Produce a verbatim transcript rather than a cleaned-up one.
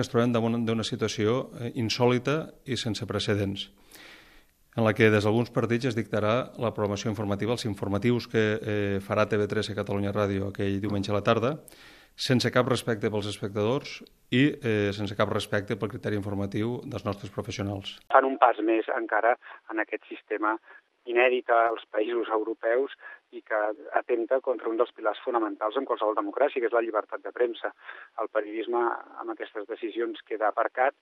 que es trobem damunt d'una situació insòlita i sense precedents, en la que des d'alguns partits es dictarà la programació informativa, els informatius que eh, farà T V tres i Catalunya Ràdio aquell diumenge a la tarda, sense cap respecte pels espectadors i eh, sense cap respecte pel criteri informatiu dels nostres professionals. Fan un pas més encara en aquest sistema inèdit als països europeus i que atempta contra un dels pilars fonamentals en qualsevol democràcia, que és la llibertat de premsa. El periodisme amb aquestes decisions queda aparcat